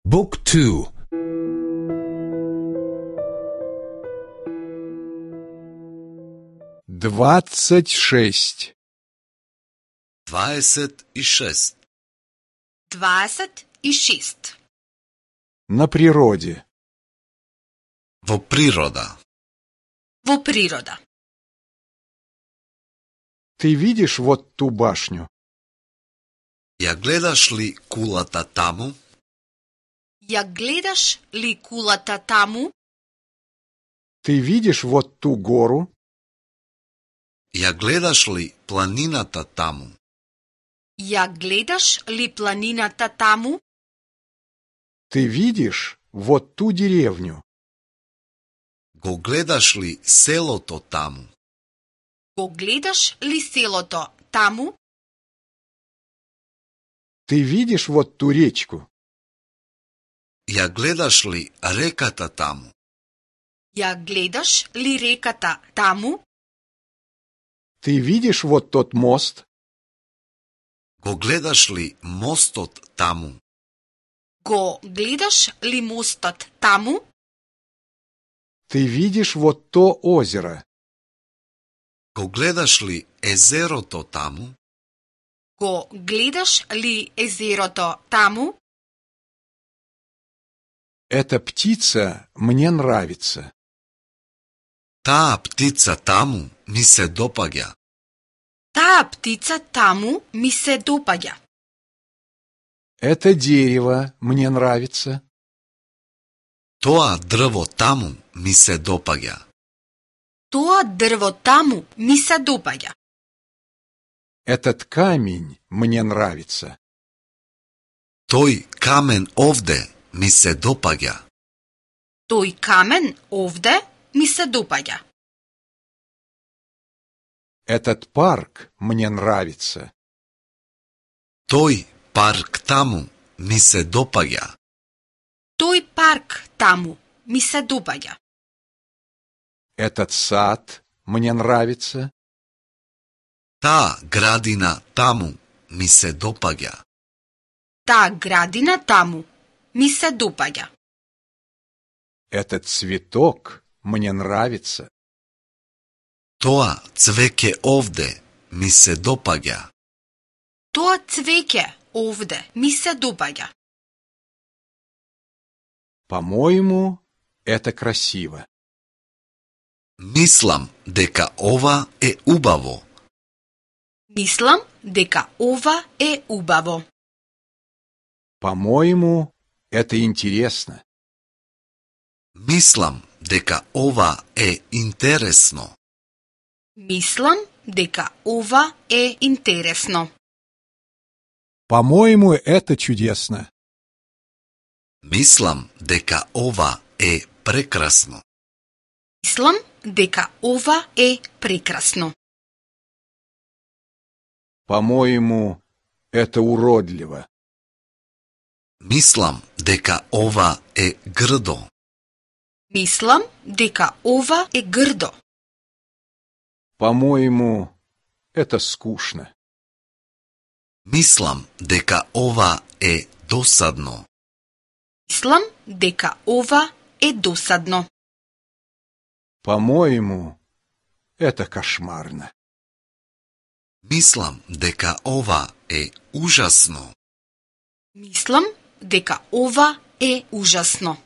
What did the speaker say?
Book 2. 26. 26. 26. На природе. Во природа. Во природа. Ты видишь вот ту башню? Ја гледаш ли кулата таму? Ја гледаш ли кулата таму? Ты видишь вот ту гору? Ја гледаш ли планината таму? Ја гледаш ли планината таму? Ты видишь вот ту деревню? Го гледаш ли селото таму? Го гледаш ли селото таму? Ты видишь вот ту речку? Ја гледаш ли реката таму? Ја гледаш ли реката таму? Ты видишь вот тот мост? Го гледаш ли мостот таму? Го гледаш ли мостот таму? Ты видишь вот то озеро? Го гледаш ли езерото таму? Го гледаш ли езерото таму? Эта птица мне нравится. Таа птица таму ми се допаѓа. Таа птица таму ми се допаѓа. Это дерево мне нравится. Тоа дрво таму ми се допаѓа. Тоа дрво таму ми се допаѓа. Этот камень мне нравится. Тој камен овде ми се допаѓа. Тој камен овде ми се допаѓа. Этот парк мне нравится. Тој парк таму ми се допаѓа. Тој парк таму ми се допаѓа. Этот сад мне нравится. Таа градина таму ми се допаѓа. Таа градина таму ми се допаѓа. Этот цветок мне нравится. Тоа цвеќе овде ми се допаѓа. Тоа цвеќе овде ми се допаѓа. По-моему, это красиво. Мислам дека ова е убаво. Мислам дека ова е убаво. По-моему, это интересно. Мислам дека ова е интересно. Мислам дека ова е интересно. По-моему, это чудесно. Мислам дека ова е прекрасно. Мислам дека ова е прекрасно. По-моему, это уродливо. Мислам дека ова е грдо. Мислам дека ова е грдо. По-моему, это скучно. Мислам дека ова е досадно. Мислам дека ова е досадно. По-моему, это кошмарно. Мислам дека ова е ужасно. Мислам дека ова е ужасно.